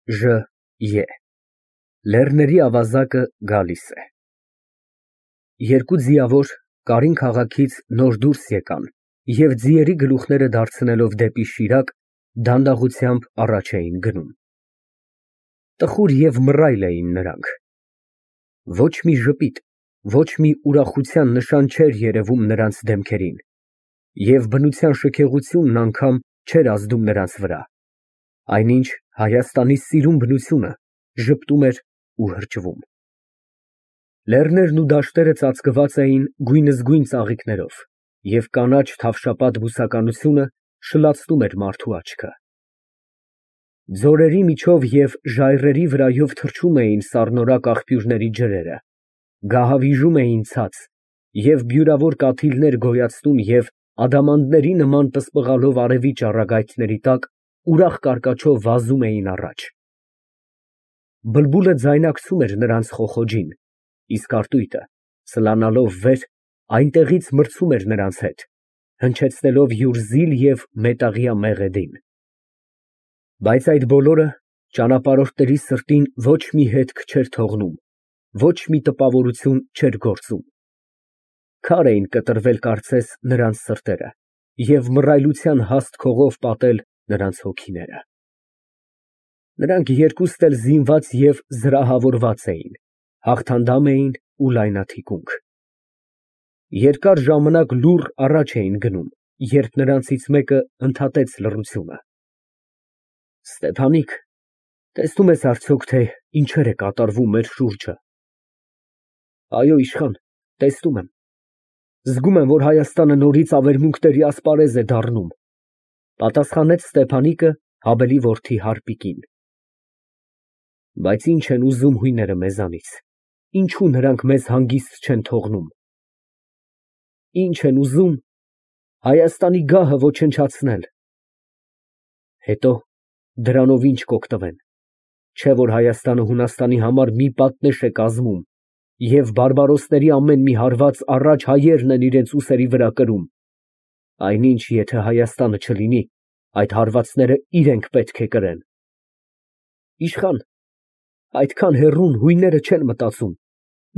Ժ. Լեռների ավազակը գալիս է։ Երկու ձիավոր Կարին քաղաքից նոր դուրս եկան և ձիերի գլուխները դարձնելով դեպի Շիրակ, դանդաղությամբ առաջ էին գնում։ Տխուր և մռայլ էին նրանք։ Ոչ մի ժպիտ, ոչ մի ուրախության նշան չէր երևում նրանց դեմքերին, և բնության շքեղությունն անգամ չէր ազդում նրանց վրա, այնինչ Հայաստանի սիրուն բնությունը ժպտում էր ու հրճվում։ Լեռներն ու դաշտերը ծածկված էին գույնզգույն ծաղիկներով, և կանաչ թավշապատ բուսականությունը շլացնում էր մարդու աչքը։ Ձորերի միջով և ժայռերի վրայով թռչում էին սառնորակ աղբյուրների ջրերը, գահավիժում էին ցած և բյուրավոր կաթիլներ գոյացնում և ադամանդների նման պսպղալով արևի ճառագայթների տակ ուրախ կարկաչով վազում էին առաջ։ Բլբուլը ձայնակցում էր նրանց խոխոջին, իսկ արտույտը, սլանալով վեր, այնտեղից մրցում էր նրանց հետ, հնչեցնելով յուր զիլ և մետաղյա մեղեդին։ Բայց այդ բոլորը ճանապարհորդների սրտին ոչ մի հետք չէր թողնում, ոչ մի տպավորություն չէր գործում։ Քար էին կտրվել կարծես նրանց սրտերը և մռայլության հաստ քողով պատել նրանց հոգիները։ Նրանք երկուստ էլ զինված և զրահավորված էին, հաղթանդամ էին ու լայնաթիկունք։ Երկար ժամանակ լուռ առաջ էին գնում, երբ նրանցից մեկը ընդհատեց լռությունը. Ստեփանիկ, տեսնո՞ւմ ես արդյոք, թե ինչեր է կատարվում մեր շուրջը։ Այո, իշխան, տեսնում եմ։ Զգում եմ, որ Հայաստանը նորից ավերմունքների ասպարեզ է դառնում, պատասխանեց Ստեփանիկը Հաբելի որդի Հարպիկին։ Բայց ի՞նչ են ուզում հույները մեզանից, ինչո՞ւ նրանք մեզ հանգիստ չեն թողնում։ Ինչ են ուզում Հայաստանի գահը ոչնչացնել։ Հետո դրանով ինչ կօգտվեն, չէ՞ որ Հայաստանը Հունաստանի համար մի պատնեշ է կազմում, և բարբարոսների ամեն մի հարված առաջ հայերն են իրենց ուսերի վրա կրում, այնինչ եթե Հայաստանը չլինի, այդ հարվածները իրենք պետք է կրեն։ Իշխան, այդքան հեռուն հույները չեն մտածում,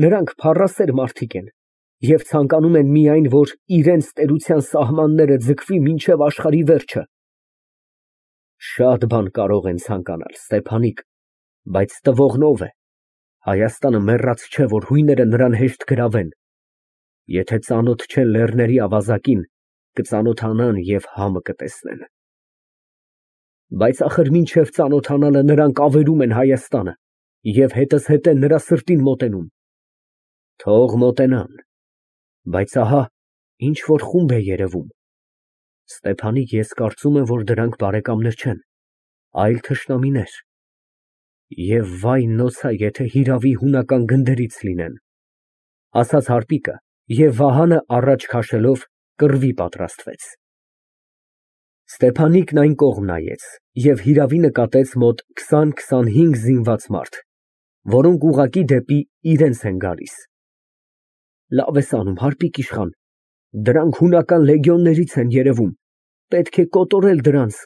նրանք փառասեր մարդիկ են և ցանկանում են միայն, որ իրենց տերության սահմանները ձգվի մինչև աշխարհի վերջը։ Շատ բան կարող են ցանկանալ, Ստեփանիկ, բայց տվողն ո՞վ է։ Հայաստանը մեռած չէ, որ հույները նրան հեշտ գրավեն։ Եթե ծանոթ չեն լեռների ավազակին, կծանոթանան և համը կտեսնեն։ Բայց ախր մինչև ծանոթանալը նրանք ավերում են Հայաստանը և հետզհետե նրա սրտին մոտենում։ Թող մոտենան, բայց ահա ինչ որ խումբ է երևում։ Ստեփանիկ, ես կարծում եմ, որ դրանք բարեկամներ չեն, այլ թշնամիներ։ Եվ վայ նոցա, եթե հիրավի հունական գնդերից լինեն, ասաց Հարպիկը և վահանը առաջ քաշելով կռվի պատրաստվեց։ Ստեփանիկն այն կողմ նայեց և հիրավի նկատեց մոտ 20-25 զինված մարդ, որոնք ուղղակի դեպի իրենց են գալիս։ Լավ ես անում, Հարպիկ իշխան, դրանք հունական լեգիոններից են երևում, պետք է կոտորել դրանց,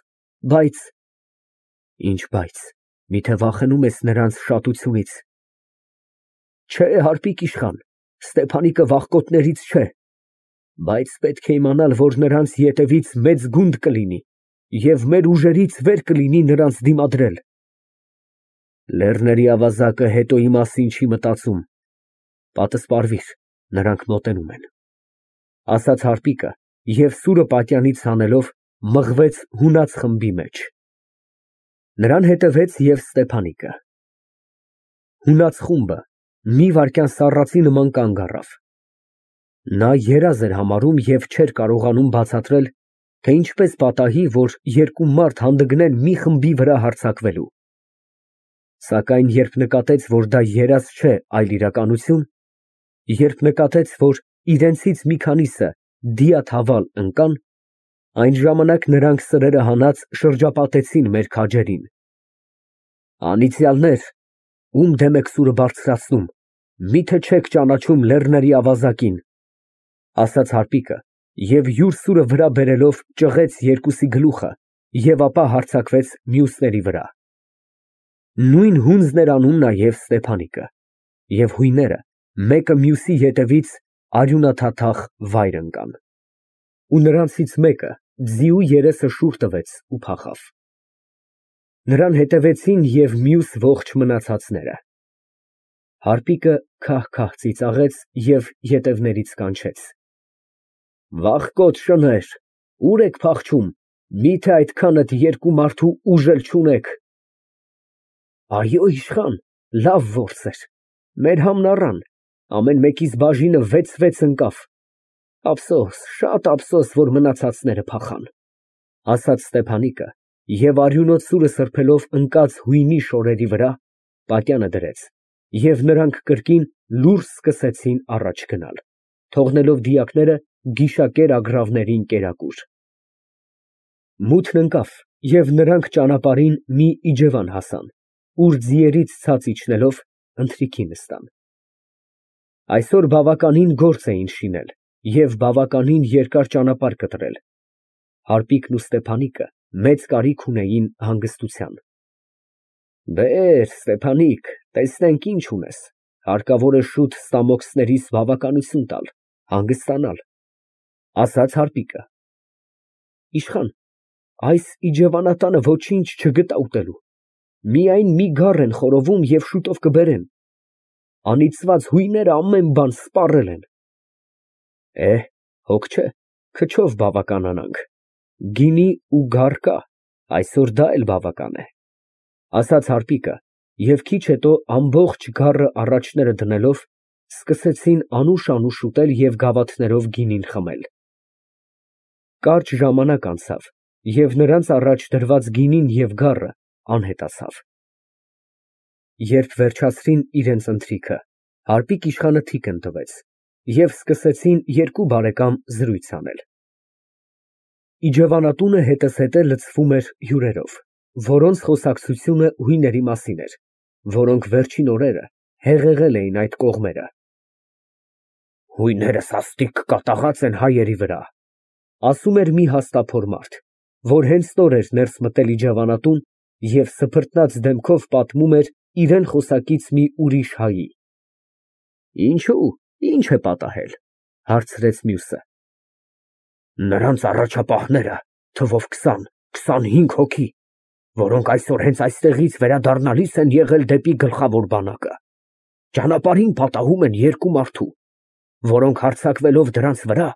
բայց… Ինչ բայց, միթե վախենում ես նրանց շատությունից։ Չէ, Հարպիկ իշխան, Ստեփանիկը վախկոտներից չէ, բայց պետք է իմանալ, որ նրանց ետևից մեծ գունդ կլինի և մեր ուժերից վեր կլինի նրանց դիմադրել։ Լեռների ավազակը հետո ի մասին չի մտածում, պատսպարվիր, նրանք մոտենում են, ասաց Հարպիկը և սուրը պատյանից հանելով մղվեց հունած խմբի մեջ։ Նրան հետևեց և Ստեփանիկը։ Հունած խումբը մի վայրկյան սառածի նման կանգ առավ։ Նա երազ էր համարում և չէր կարողանում բացատրել, թե ինչպես պատահի, որ երկու մարդ հանդգնեն մի խմբի վրա հարձակվելու։ Սակայն երբ նկատեց, որ դա երազ չէ, այլ իրականություն, երբ նկատեց, որ իրենցից մի քանիսը դիաթավալ ընկան, այն ժամանակ նրանք սրերը հանած շրջապատեցին մեր քաջերին։ Անիծյալներ, ում դեմ եք սուրը բարձրացնում, միթե չեք ճանաչում լեռների ավազակին, ասաց Հարպիկը և յուր սուրը վրա բերելով ճղեց երկուսի գլուխը և ապա հարձակվեց մյուսների վրա։ Նույն հունձն էր անում նաև Ստեփանիկը, և հույները մեկը մյուսի ետևից արյունաթաթախ վայր ընկան, ու նրանցից մեկը ձիու երեսը շուռ տվեց ու փախավ. նրան հետևեցին և մյուս ողջ մնացածները։ Հարպիկը քահ֊քահ ծիծաղեց և ետևներից կանչեց. Վախկոտ շներ, ուր եք փախչում, միթե այդքանդ երկու մարդու ուժ էլ չունեք։ Այո, իշխան, լավ որս էր, մեր համն առան, ամեն մեկիս բաժինը 6 ընկավ, շատ ափսոս, որ մնացածները փախան, ասաց Ստեփանիկը և արյունոտ սուրը սրբելով ընկած հույնի շորերի վրա պատյանը դրեց, և նրանք կրկին լուրջ սկսեցին առաջ գնալ, թողնելով դիակները գիշակեր ագռավներին կերակուր։ Մութն ընկավ, և նրանք ճանապարհին մի իջևան հասան, ուր ձիերից ցած իջնելով ընթրիքի նստան։ Այսօր բավականին գործ էին շինել և բավականին երկար ճանապարհ կտրել, Հարպիկն ու Ստեփանիկը մեծ կարիք ունեին հանգստության։ Բեր, Ստեփանիկ, տեսնենք ինչ ունես, հարկավոր է շուտ ստամոքսներիս բավականություն տալ, հանգստանալ, ասաց Հարպիկը։ Իշխան, այս իջևանատանը ոչինչ չգտա ուտելու, միայն մի գառ են խորովում և շուտով կբերեն, անիծված հույները ամեն բան սպառել են։ Հոգ չէ, քչով բավականանանք, գինի ու գառ կա, այսօր դա էլ բավական է, ասաց Հարպիկը և քիչ հետո ամբողջ գառը առաջները դնելով, սկսեցին անուշ ուտել և գավաթներով գինին խմել։ Կարճ ժամանակ անցավ, և նրանց առաջ դրված գինին և գառը անհետացավ։ Երբ վերջացրին իրենց ընթրիքը, Հարպիկ իշխանը թիկն տվեց, և սկսեցին երկու բարեկամ զրույց անել։ Իջևանատունը հետզհետե լցվում էր հյուրերով, որոնց խոսակցությունը հույների մասին էր, որոնք վերջին օրերը հեղեղել էին այդ կողմերը։ Հույները սաստիկ կատաղած են հայերի վրա, ասում էր մի հաստափոր մարդ, որ հենց նոր էր ներս մտել իջևանատուն և սփռտնած դեմքով պատմում էր իրան խոսակից մի ուրիշ հայի։ Ինչո՞ւ, ի՞նչ է պատահել, հարցրեց մյուսը։ Նրանց առաջապահները թվով 20-25 հոգի, որոնք այսօր հենց այստեղից վերադառնալիս են եղել դեպի գլխավոր բանակը, ճանապարհին պատահում են երկու մարդու, որոնք հարձակվելով դրանց վրա,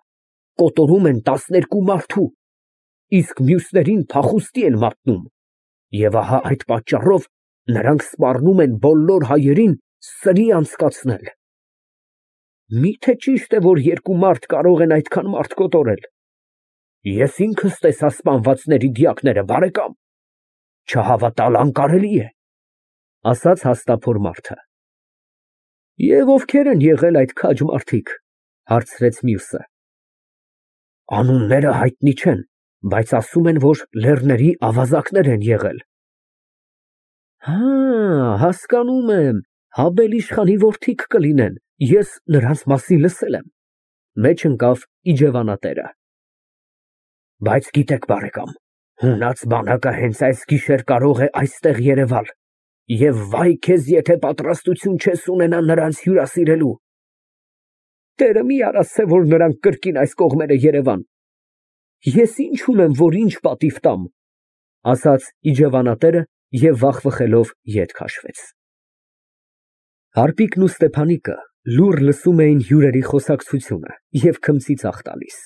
կոտորում են 12 մարդու, իսկ մյուսներին փախուստի են մատնում, և ահա այդ պատճառով նրանք սպառնում են բոլոր հայերին սրի անցկացնել։ Միթե ճի՞շտ է, որ երկու մարդ կարող են այդքան մարդ կոտորել։ Ես ինքս տեսա սպանվածների դիակները, բարեկամ, չհավատալ անկարելի է, ասաց հաստափոր մարդը։ Եվ ովքեր են եղել այդ քաջ մարդիկ, հարցրեց մյուսը։ Անունները հայտնի չեն, բայց ասում են, որ լեռների ավազակներ են եղել։ Հասկանում եմ, Հաբել իշխանի որդիք կլինեն, ես նրանց մասին լսել եմ, մեջ ընկավ իջևանատերը։ Բայց գիտեք, բարեկամ, հունած բանակը հենց այս գիշեր կարող է այստեղ երևալ, և վայ քեզ, եթե պատրաստություն չես ունենա նրանց հյուրասիրելու։ Տերը մի արասցե, որ նրանք կրկին այս կողմերը երևան։ Ես ինչ ունեմ, որ ինչ պատիվ տամ, ասաց իջևանատերը և վախվխելով ետ քաշվեց։ Հարպիկն ու Ստեփանիկը լուռ լսում էին հյուրերի խոսակցությունը և քմծիծաղ տալիս։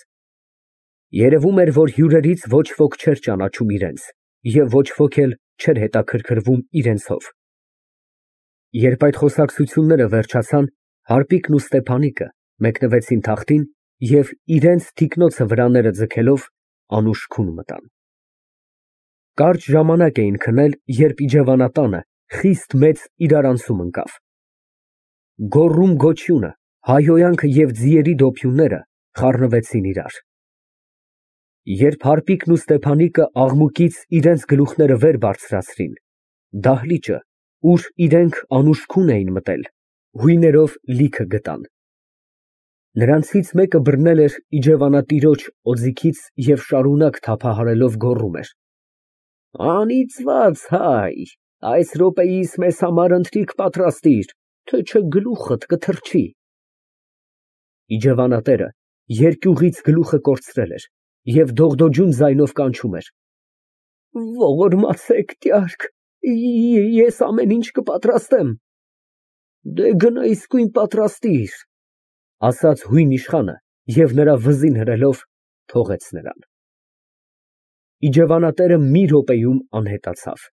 Երևում էր, որ հյուրերից ոչ ոք չէր ճանաչում իրենց և ոչ ոք էլ չէր հետաքրքրվում իրենցով։ Երբ այդ խոսակցությունները վերջացան, Հարպիկն ու Ստեփանիկը մեկնվեցին թախտին և իրենց թիկնոցը վրաները ձգելով անուշ քուն մտան։ Կարճ ժամանակ էին քնել, երբ իջևանատանը խիստ մեծ իրարանցում ընկավ։ Գոռում֊գոչյունը, հայհոյանքը և ձիերի դոփյունները խառնվեցին իրար։ Երբ Հարպիկն ու Ստեփանիկը աղմուկից իրենց գլուխները վեր բարձրացրին, դահլիճը, ուր իրենք անուշ քուն էին մտել, հույներով լիքը գտան։ Նրանցից մեկը բռնել էր իջևանատիրոջ օձիքից և շարունակ թափահարելով գոռում էր. Անիծված հայ, Այս րոպեիս մեզ համար ընթրիք պատրաստիր, թե չէ գլուխդ կթռչի։ Իջևանատերը երկյուղից գլուխը կորցրել էր և դողդոջուն ձայնով կանչում էր. Ողորմացեք, տյարք, ես ամեն ինչ կպատրաստեմ։ Դե գնա իսկույն պատրաստիր, ասաց հույն իշխանը և նրա վզին հրելով թողեց նրան։ Իջևանատերը մի րոպեում անհետացավ,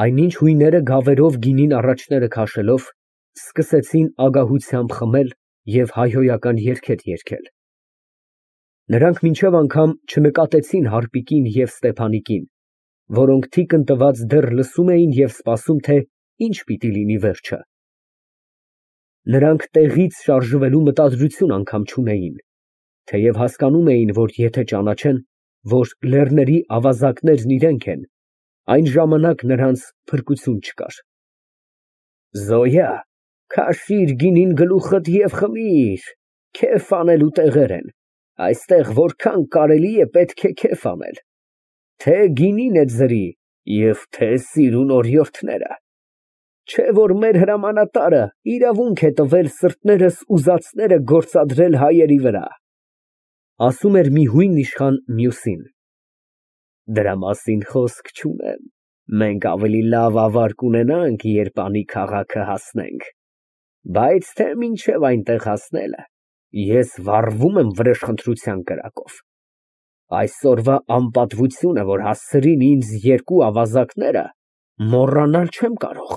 այնինչ հույները գավերով գինին առաջները քաշելով, սկսեցին ագահությամբ խմել և հայհոյական երգեր երգել։ Նրանք մինչև անգամ չնկատեցին Հարպիկին և Ստեփանիկին, որոնք թիկն տված դեռ լսում էին և սպասում, թե ինչ պիտի լինի վերջը։ Նրանք տեղից շարժվելու մտադրություն անգամ չունեին, թեև հասկանում էին, որ եթե ճանաչեն, որ լեռների ավազակներն իրենք են, այն ժամանակ նրանց փրկություն չկար։ Զոյա, քաշիր գինին գլուխդ և խմիր, քեֆ անելու տեղեր են, այստեղ որքան կարելի է պետք է քեֆ անել, թե գինին է ձրի և թե սիրուն օրիորդները, չէ որ մեր հրամանատարը իրավունք է տվել սրտներս ուզածները գործադրել հայերի վրա, ասում էր մի հույն իշխան մյուսին։ Դրա մասին խոսք չունեմ, մենք ավելի լավ ավար կունենանք, երբ անի քաղաքը հասնենք, բայց թե մինչև այնտեղ հասնելը, ես վառվում եմ վրեժխնդրության կրակով։ Այսօրվա անպատվությունը, որ հասցրին ինձ երկու ավազակները, մոռանալ չեմ կարող։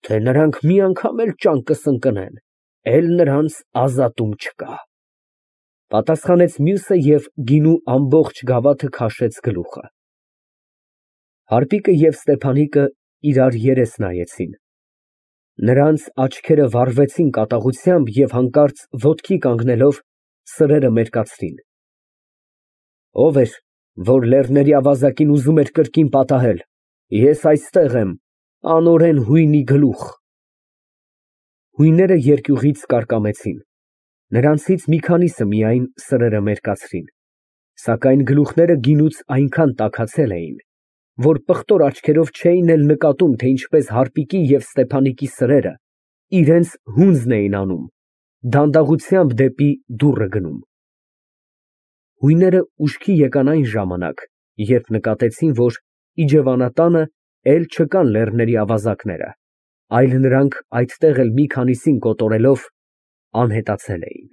Թե նրանք մի անգամ էլ ճանկս ընկնեն, էլ նրանց ազատում չկա, պատասխանեց մյուսը և գինու ամբողջ գավաթը քաշեց գլուխը։ Հարպիկը և Ստեփանիկը իրար երես նայեցին։ Նրանց աչքերը վառվեցին կատաղությամբ և հանկարծ ոտքի կանգնելով սրերը մերկացրին։ Ո՞վ էր, որ լեռների ավազակին ուզում էր կրկին պատահել։ Ես այստեղ եմ, անօրեն հույնի գլուխ։ Հույները երկյուղից կարկամեցին։ Նրանցից մի քանիսը միայն սրերը մերկացրին, սակայն գլուխները գինուց այնքան տաքացել էին, որ պղտոր աչքերով չէին էլ նկատում, թե ինչպես Հարպիկի և Ստեփանիկի սրերը իրենց հունձն էին անում, դանդաղությամբ դեպի դուռը գնում։ Հույները ուշքի եկան այն ժամանակ, երբ նկատեցին, որ իջևանատանը էլ չկան լեռների ավազակները, այլ նրանք այդտեղ էլ մի քանիսին կոտորելով անհետացել էին։